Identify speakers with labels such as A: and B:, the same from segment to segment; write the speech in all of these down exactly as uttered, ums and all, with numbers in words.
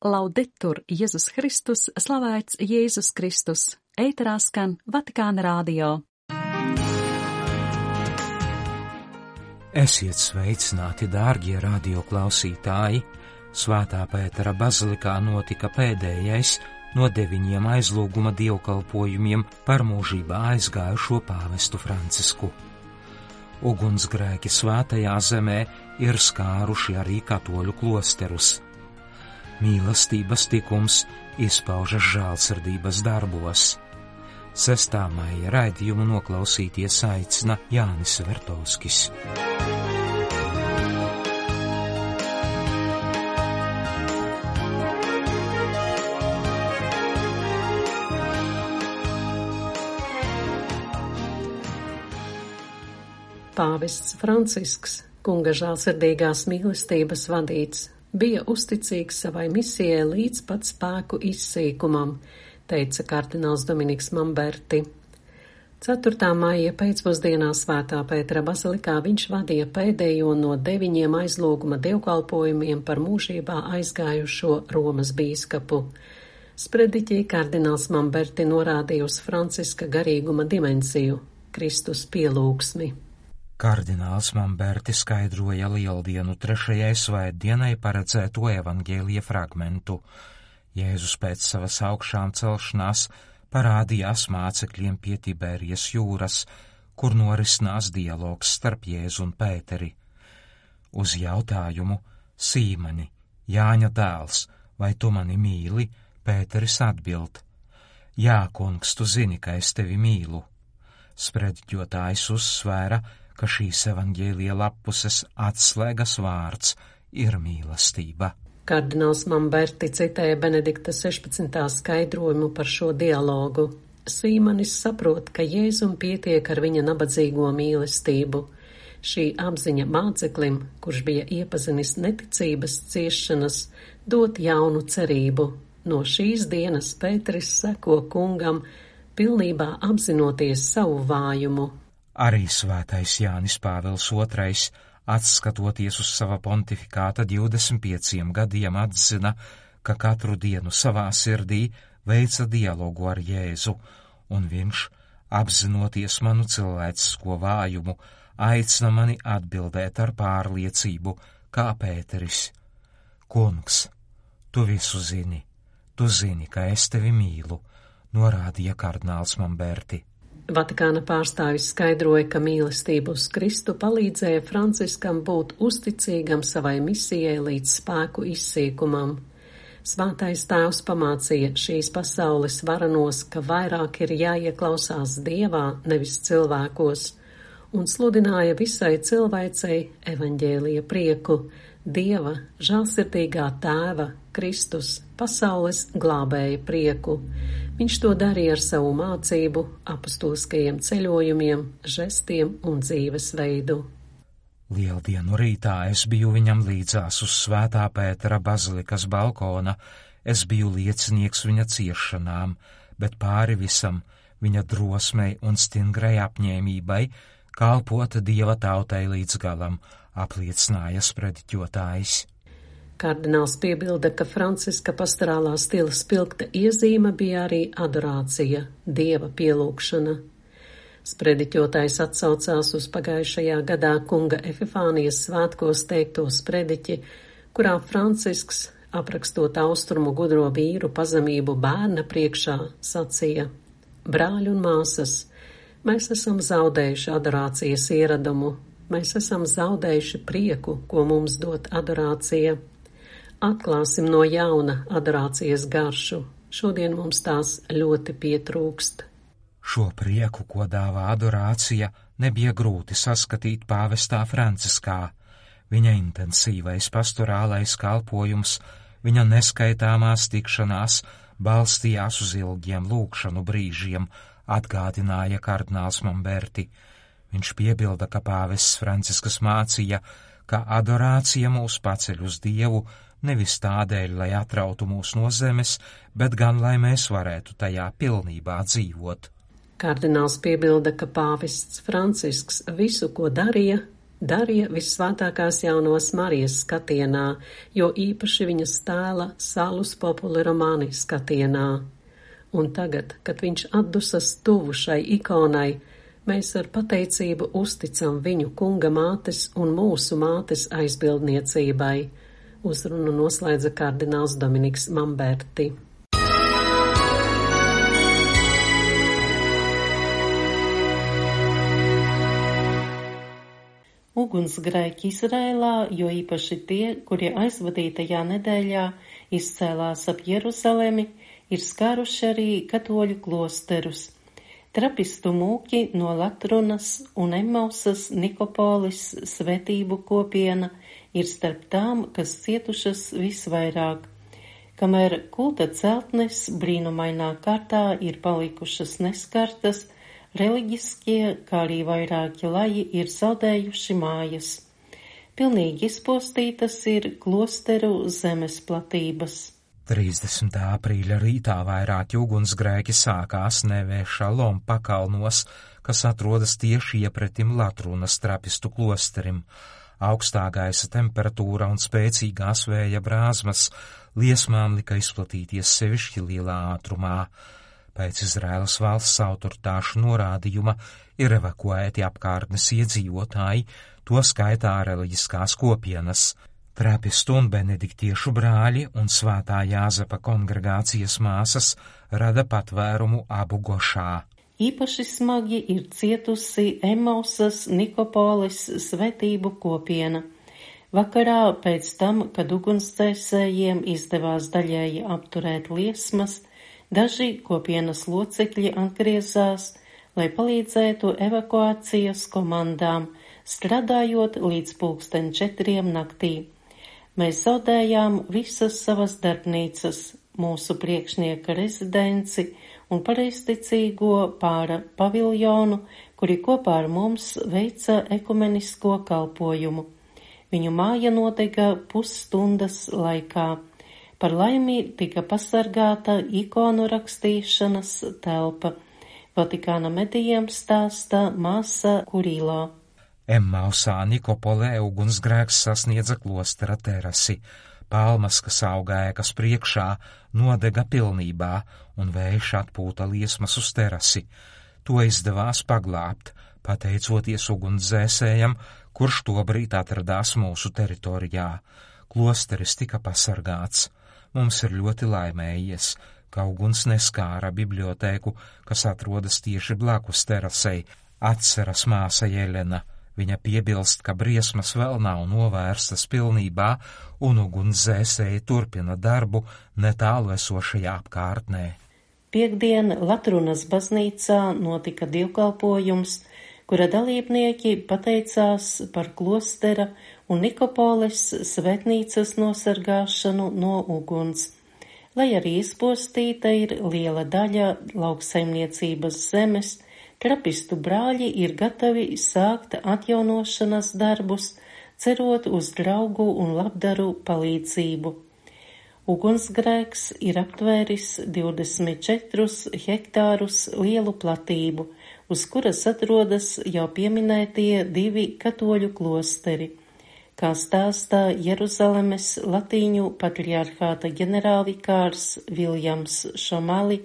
A: Laudetur Jēzus Kristus, slavēts Jēzus Kristus, ēterā skan Vatikāna radio.
B: Esiet sveicināti, dārgie radio klausītāji! Svētā Pētera bazilikā notika pēdējais no deviņiem aizlūguma dievkalpojumiem par mūžībā aizgājušo pāvestu Francisku. Ugunsgrēki svētajā zemē ir skāruši arī katoļu klosterus. Mīlestības tikums izpaužas žēlsirdības darbos. sestā maija raidījumu noklausīties aicina Jānis Vertovskis.
C: Pāvests Francisks, kunga žēlsirdīgās mīlestības vadīts, bija uzticīgs savai misijai līdz pat spēku izsīkumam, teica kardināls Dominiks Mamberti. ceturtā maija pēcpusdienā Svētā Pētera bazilikā viņš vadīja pēdējo no deviņiem aizlūguma dievkalpojumiem par mūžībā aizgājušo Romas bīskapu. Sprediķī kardināls Mamberti norādīja uz Franciska garīguma dimensiju – Kristus pielūgsmi.
B: Kardināls Mamberti skaidroja Lieldienu trešajai svētdienai paredzēto evaņģēlija fragmentu. Jēzus pēc savas augšām celšanās parādījās mācekļiem pie Tiberijas jūras, kur norisinās dialogs starp Jēzu un Pēteri. Uz jautājumu: Sīmani, Jāņa dēls, vai tu mani mīli? Pēteris atbild: Jā, kungs, tu zini, ka es tevi mīlu. Sprediķotājs uzsvēra, ka šīs evaņģēlija lappuses atslēgas vārds ir mīlestība.
C: Kardināls Mamberti citēja Benedikta sešpadsmitā skaidrojumu par šo dialogu. Sīmanis saprot, ka Jēzum pietiek ar viņa nabadzīgo mīlestību. Šī apziņa māceklim, kurš bija iepazinis neticības ciešanas, dot jaunu cerību. No šīs dienas Pēteris seko kungam, pilnībā apzinoties savu vājumu.
B: Arī svētais Jānis Pāvils otrais, atskatoties uz sava pontifikāta divdesmit pieciem gadiem, atzina, ka katru dienu savā sirdī veica dialogu ar Jēzu, un viņš, apzinoties manu cilvēcisko vājumu, aicina mani atbildēt ar pārliecību, kā Pēteris: Kungs, tu visu zini, tu zini, ka es tevi mīlu, norādīja kardināls Mamberti.
C: Vatikāna pārstāvis skaidroja, ka mīlestība uz Kristu palīdzēja Franciskam būt uzticīgam savai misijai līdz spēku izsīkumam. Svētais tēvs pamācīja šīs pasaules varanos, ka vairāk ir jāieklausās Dievā, nevis cilvēkos, un sludināja visai cilvēcei evaņģēlija prieku, Dieva, žēlsirdīgā tēva, Kristus, pasaules glābēja prieku. Viņš to darīja ar savu mācību, apostoliskajiem ceļojumiem, žestiem un dzīvesveidu.
B: Lieldienu rītā es biju viņam līdzās uz Svētā Pētera bazilikas balkona, es biju liecinieks viņa ciešanām, bet pāri visam viņa drosmei un stingrai apņēmībai kalpot Dieva tautai līdz galam, apliecināja sprediķotājs.
C: Kardināls piebilda, ka Franciska pastorālā stila spilgta iezīme bija arī adorācija, Dieva pielūgšana. Sprediķotājs atsaucās uz pagājušajā gadā kunga Epifānijas svētkos teikto sprediķi, kurā Francisks, aprakstot austrumu gudro vīru pazemību bērna priekšā, sacīja: Brāļi un māsas, mēs esam zaudējuši adorācijas ieradumu, mēs esam zaudējuši prieku, ko mums dot adorācija. Atklāsim no jauna adorācijas garšu. Šodien mums tās ļoti pietrūkst.
B: Šo prieku, ko dāvā adorācija, nebija grūti saskatīt pāvestā Franciskā. Viņa intensīvais pastorālais kalpojums, viņa neskaitāmās tikšanās balstījās uz ilgiem lūgšanu brīžiem, atgādināja kardināls Mamberti. Viņš piebilda, ka pāvests Francisks mācīja, ka adorācija mūs paceļ uz Dievu, nevis tādēļ, lai atrautu mūs no zemes, bet gan, lai mēs varētu tajā pilnībā dzīvot.
C: Kardināls piebilda, ka pāvests Francisks visu, ko darīja, Darija Visvētākās jaunās Marijas skatienā, jo īpaši viņas tēla Salus Populi Romani skatienā. Un tagad, kad viņš atdusas tuvu šai ikonai, mēs ar pateicību uzticam viņu kunga mātes un mūsu mātes aizbildniecībai. Uzrunu noslēdza kardināls Dominiks Mamberti.
D: Ugunsgrēki Izrēlā, jo īpaši tie, kuri aizvadītajā nedēļā izcēlās ap Jeruzalemi, ir skāruši arī katoļu klosterus. Trapistu mūki no Latrunas un Emmausas Nikopolis svētību kopiena ir starp tām, kas cietušas visvairāk. Kamēr kulta celtnes brīnumainā kārtā ir palikušas neskartas, reliģiskie, kā arī vairāki laji ir zaudējuši mājas. Pilnīgi izpostītas ir klosteru zemes platības.
B: trīsdesmitā aprīļa rītā vairāki ugunsgrēki sākās Nevē-Šalom pakalnos, kas atrodas tieši iepretim Latrunas trapistu klosterim. Augstā gaisa temperatūra un spēcīgās vēja brāzmas liesmām lika izplatīties sevišķi lielā ātrumā. Pēc Izraēlas valsts autoritāšu norādījuma ir evakuēti apkārtnes iedzīvotāji, to skaitā reliģiskās kopienas. Trapistu un benediktiešu brāļi un Svētā Jāzepa kongregācijas māsas rada patvērumu Abu Gošā.
D: Īpaši smagi ir cietusi Emmausas Nikopolis svētību kopiena. Vakarā pēc tam, kad ugunsdzēsējiem izdevās daļēji apturēt liesmas, daži kopienas locekļi atgriezās, lai palīdzētu evakuācijas komandām, strādājot līdz pulksten četriem naktī. Mēs zaudējām visas savas darbnīcas, mūsu priekšnieka rezidenci un pareizticīgo pāra paviljonu, kuri kopā ar mums veica ekumenisko kalpojumu. Viņu māja nodega pusstundas laikā. Par laimi tika pasargāta ikonu rakstīšanas telpa. Vatikāna medijiem stāsta māsa Kurilā.
B: Emmausā Nikopolē ugunsgrēks sasniedza klostera terasi. Palmas, kas auga ēkas priekšā, nodega pilnībā, un vējš atpūta liesmas uz terasi. To izdevās paglābt, pateicoties ugunsdzēsējam, kurš tobrīd atradās mūsu teritorijā. Klosteris tika pasargāts. Mums ir ļoti laimējies, ka uguns neskāra bibliotēku, kas atrodas tieši blakus terasei, atceras māsa Jelena. Viņa piebilst, ka briesmas vēl nav novērstas pilnībā, un ugunsdzēsēji turpina darbu netālu esošajā apkārtnē.
D: Piektdien Latrunas baznīcā notika dievkalpojums, kura dalībnieki pateicās par klostera un Nikopoles svētnīcas nosargāšanu no uguns. Lai arī izpostīta ir liela daļa lauksaimniecības zemes, trapistu brāļi ir gatavi sākt atjaunošanas darbus, cerot uz draugu un labdaru palīdzību. Ugunsgrēks ir aptvēris divdesmit četrus hektārus lielu platību, uz kuras atrodas jau pieminētie divi katoļu klosteri. Kā stāstā Jeruzalemes latīņu patriarhāta ģenerālvikārs Viljams Šomali,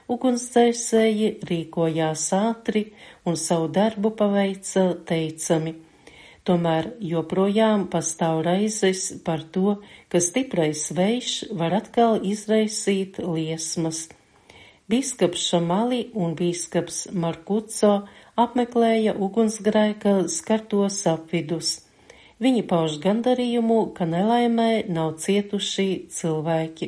D: ugunsdzēsēji rīkojās ātri un savu darbu paveica teicami. Tomēr joprojām pastāv raizes par to, ka stiprais vējš var atkal izraisīt liesmas. Bīskaps Šamali un bīskaps Markuco apmeklēja ugunsgrēka skartos apvidus. Viņi pauž gandarījumu, ka nelaimē nav cietuši cilvēki.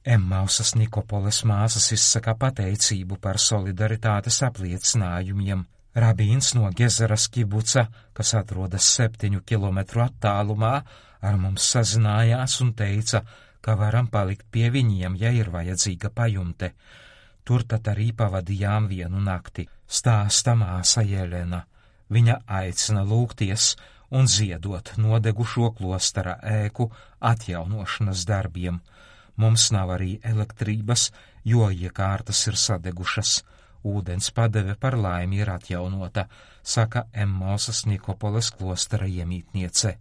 B: Emmausas Nikopoles māsas izsaka pateicību par solidaritātes apliecinājumiem. Rabīns no Gezeras kibuca, kas atrodas septiņu kilometru attālumā, ar mums sazinājās un teica, ka varam palikt pie viņiem, ja ir vajadzīga pajumte. Tur tad arī pavadījām vienu nakti, stāsta māsa Jelena. Viņa aicina lūgties un ziedot nodegušo klostera ēku atjaunošanas darbiem. Mums nav arī elektrības, jo iekārtas ir sadegušas. ūdens padeve par laimi ir atjaunota, saka Emmausas Nikopoles klostera iemītniece.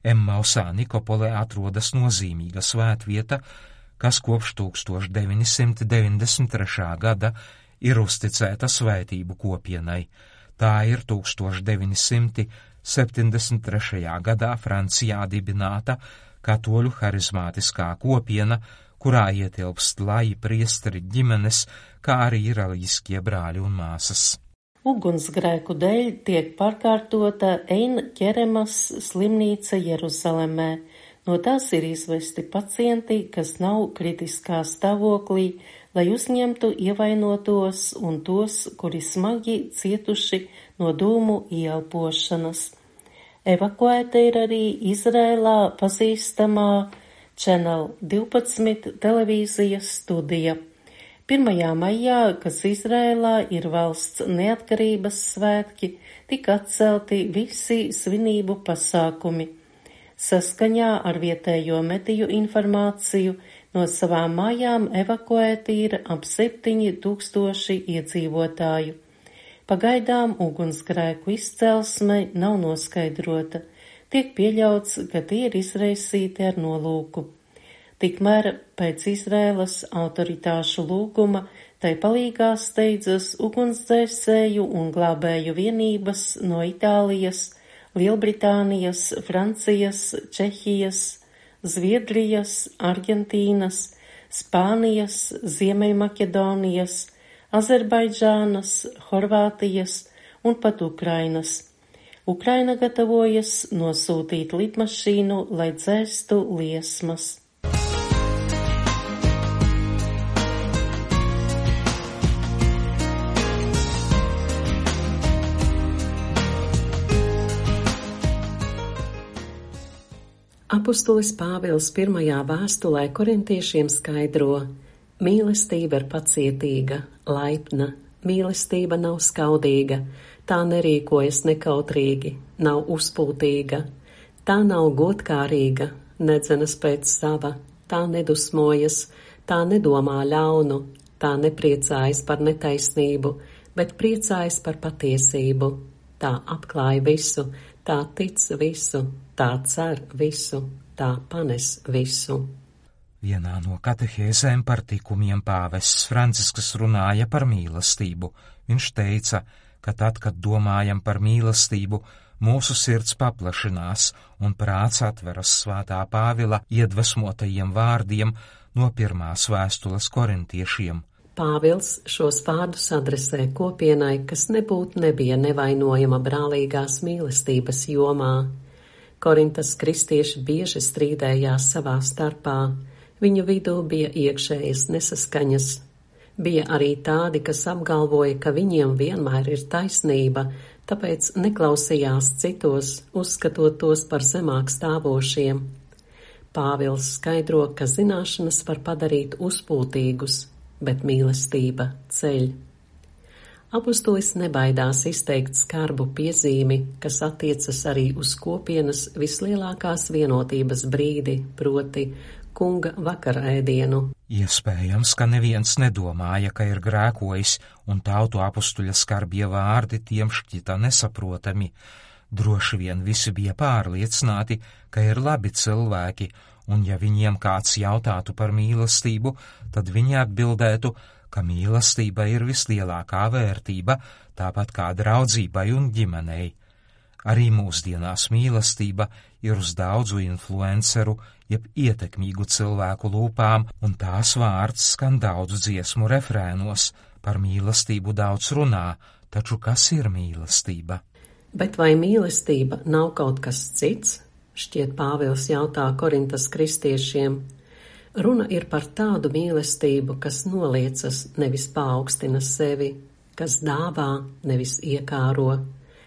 B: Emmausā Nikopolē atrodas nozīmīga svētvieta, kas kopš tūkstoš deviņi simti deviņdesmit trešā gada ir uzticēta svētību kopienai. Tā ir tūkstoš deviņi simti septiņdesmit trešajā gadā Francijā dibināta katoļu harizmātiskā kopiena, kurā ietilpst laji priesteri ģimenes, kā arī iraļiskie brāļi un māsas.
D: Ugunsgrēku dēļ tiek pārkārtota Ein Ķeremas slimnīca Jeruzalemē. No tās ir izvesti pacienti, kas nav kritiskā stāvoklī, lai uzņemtu ievainotos un tos, kuri smagi cietuši no dūmu ieelpošanas. Evakuēta ir arī Izrēlā pazīstamā Channel divpadsmit televīzijas studija. pirmajā maijā, kas Izrēlā ir valsts neatkarības svētki, tika atcelti visi svinību pasākumi. Saskaņā ar vietējo mediju informāciju no savām mājām evakuēti ir ap septiņi tūkstoši iedzīvotāju. Pagaidām ugunsgrēku izcelsme nav noskaidrota. Tiek pieļauts, ka tie ir izraisīti ar nolūku. Tikmēr pēc Izrēlas autoritāšu lūguma tai palīgā steidzas ugunsdzēsēju un glābēju vienības no Itālijas, Lielbritānijas, Francijas, Čehijas, Zviedrijas, Argentīnas, Spānijas, Ziemeļmaķedonijas, Azerbaidžānas, Horvātijas un pat Ukrainas. Ukraina gatavojas nosūtīt lidmašīnu, lai dzēstu liesmas.
C: Apostolis Pāvils pirmajā vēstulē korintiešiem skaidro: mīlestība ir pacietīga, laipna, mīlestība nav skaudīga, tā nerīkojas nekautrīgi, nav uzpūtīga, tā nav godkārīga, nedzenas pēc sava, tā nedusmojas, tā nedomā ļaunu, tā nepriecājas par netaisnību, bet priecājas par patiesību, tā atklāja visu, tā tic visu, tā cer visu, tā panes visu.
B: Vienā no katehēzēm par tikumiem pāvests Francisks runāja par mīlestību. Viņš teica, ka tad, kad domājam par mīlestību, mūsu sirds paplašinās un prāts atveras svētā Pāvila iedvesmotajiem vārdiem no pirmās vēstules korintiešiem.
C: Pāvils šos vārdus adresē kopienai, kas nebūtu nebija nevainojama brālīgās mīlestības jomā. Korintas kristieši bieži strīdējās savā starpā. Viņu vidū bija iekšējas nesaskaņas. Bija arī tādi, kas apgalvoja, ka viņiem vienmēr ir taisnība, tāpēc neklausījās citos, uzskatot tos par zemāk stāvošiem. Pāvils skaidro, ka zināšanas var padarīt uzpūtīgus, bet mīlestība ceļ. Apostolis nebaidās izteikt skarbu piezīmi, kas attiecas arī uz kopienas vislielākās vienotības brīdi, proti kunga vakarēdienu.
B: Iespējams, ka neviens nedomāja, ka ir grēkojis, un tautu apostuļa skarbie vārdi tiem šķita nesaprotami. Droši vien visi bija pārliecināti, ka ir labi cilvēki, un ja viņiem kāds jautātu par mīlestību, tad viņi atbildētu, ka mīlestība ir vislielākā vērtība, tāpat kā draudzībai un ģimenei. Arī mūsdienās mīlestība ir uz daudzu influenceru, jeb ietekmīgu cilvēku lūpām, un tās vārds skan daudzu dziesmu refrēnos. Par mīlestību daudz runā, taču kas ir mīlestība?
C: Bet vai mīlestība nav kaut kas cits? Šķiet Pāvils jautā Korintas kristiešiem. Runa ir par tādu mīlestību, kas noliecas, nevis paaugstina sevi, kas dāvā, nevis iekāro,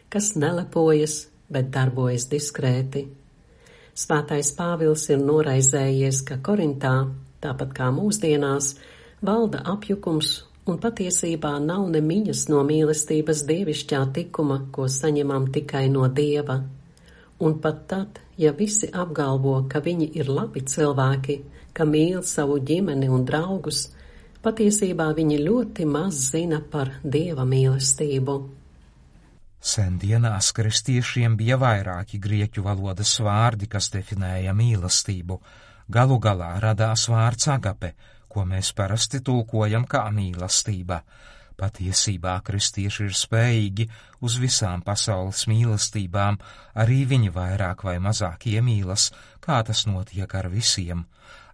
C: kas nelepojas, bet darbojas diskrēti. Svētais Pāvils ir noraizējies, ka Korintā, tāpat kā mūsdienās, valda apjukums un patiesībā nav ne miņas no mīlestības dievišķā tikuma, ko saņemam tikai no Dieva. Un pat tad, ja visi apgalvo, ka viņi ir labi cilvēki, ka mīl savu ģimeni un draugus, Patiesībā viņi ļoti maz zina par Dieva mīlestību.
B: Sendienās kristiešiem bija vairāki grieķu valodas vārdi, kas definēja mīlestību. Galu galā radās vārds agape, ko mēs parasti tulkojam kā mīlestība. Patiesībā kristieši ir spējīgi uz visām pasaules mīlestībām, arī viņi vairāk vai mazāk iemīlas, kā tas notiek ar visiem.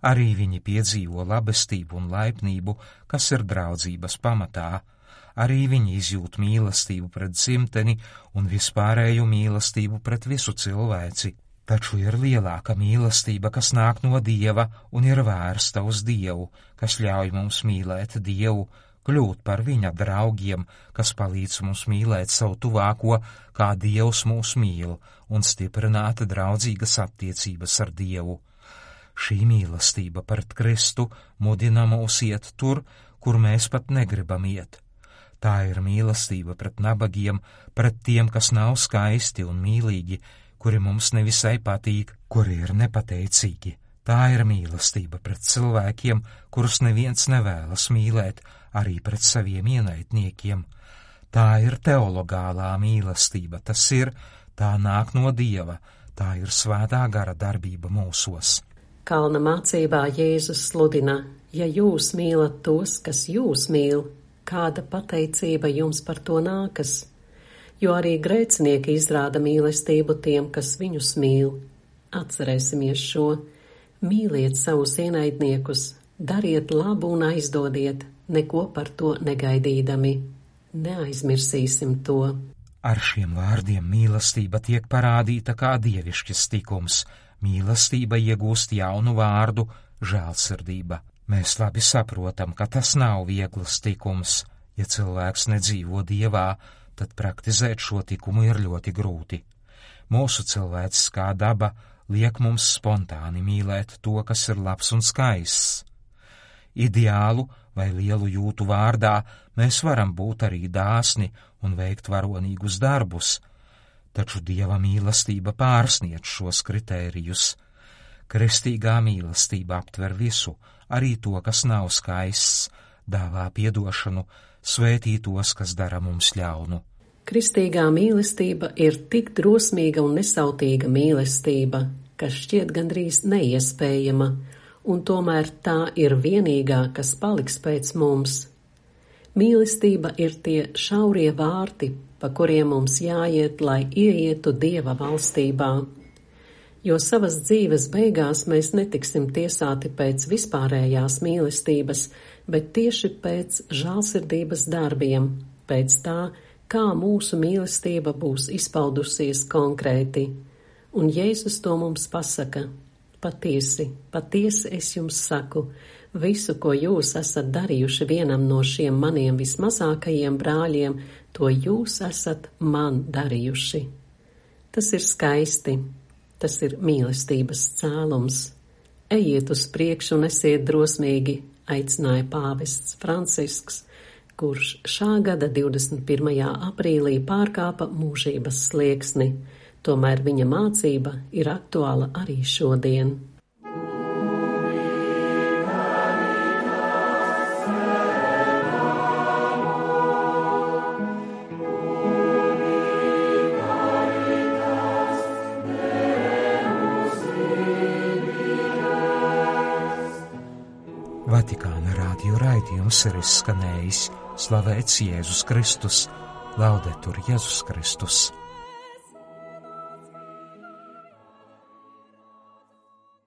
B: Arī viņi piedzīvo labestību un laipnību, kas ir draudzības pamatā. Arī viņi izjūt mīlestību pret dzimteni un vispārēju mīlestību pret visu cilvēci. Taču ir lielāka mīlestība, kas nāk no Dieva un ir vērsta uz Dievu, kas ļauj mums mīlēt Dievu, kļūt par viņa draugiem, kas palīdz mums mīlēt savu tuvāko, kā Dievs mūs mīl, un stiprināt draudzīgas attiecības ar Dievu. Šī mīlestība pret Kristu mudina mūs iet tur, kur mēs pat negribam iet. Tā ir mīlestība pret nabagiem, pret tiem, kas nav skaisti un mīlīgi, kuri mums nevisai patīk, kuri ir nepateicīgi. Tā ir mīlestība pret cilvēkiem, kurus neviens nevēlas mīlēt, arī pret saviem ienaidniekiem. Tā ir teologālā mīlestība, tas ir, tā nāk no Dieva, tā ir svētā gara darbība mūsos.
C: Kalna mācībā Jēzus sludina: ja jūs mīlat tos, kas jūs mīl, kāda pateicība jums par to nākas? Jo arī grēcinieki izrāda mīlestību tiem, kas viņus mīl. Atcerēsimies šo: mīliet savus ienaidniekus, dariet labu un aizdodiet, neko par to negaidīdami. Neaizmirsīsim to.
B: Ar šiem vārdiem mīlestība tiek parādīta kā dievišķis tikums. Mīlestība iegūst jaunu vārdu – žēlsirdība. Mēs labi saprotam, ka tas nav viegls tikums. Ja cilvēks nedzīvo Dievā, tad praktizēt šo likumu ir ļoti grūti. Mūsu cilvēciskā daba liek mums spontāni mīlēt to, kas ir labs un skaists. Ideālu vai lielu jūtu vārdā mēs varam būt arī dāsni un veikt varonīgus darbus, taču Dieva mīlestība pārsniedz šos kritērijus. Kristīgā mīlestība aptver visu, arī to, kas nav skaists, dāvā piedošanu, svētī tos, kas dara mums ļaunu.
C: Kristīgā mīlestība ir tik drosmīga un nesautīga mīlestība, kas šķiet gandrīz neiespējama, un tomēr tā ir vienīgā, kas paliks pēc mums. Mīlestība ir tie šaurie vārti, pa kuriem mums jāiet, lai ieietu Dieva valstībā. Jo savas dzīves beigās mēs netiksim tiesāti pēc vispārējās mīlestības, bet tieši pēc žēlsirdības darbiem, pēc tā, kā mūsu mīlestība būs izpaudusies konkrēti. Un Jēzus to mums pasaka: patiesi, patiesi es jums saku, visu, ko jūs esat darījuši vienam no šiem maniem vismazākajiem brāļiem, to jūs esat man darījuši. Tas ir skaisti. Tas ir mīlestības cēlums. Ejiet uz priekšu un esiet drosmīgi, aicināja pāvests Francisks, kurš šā gada divdesmit pirmajā aprīlī pārkāpa mūžības slieksni. Tomēr viņa mācība ir aktuāla arī šodien.
B: Vatikāna rādio raidījums ir izskanējis. Slavēts Jēzus Kristus, Laudetur Jēzus Kristus.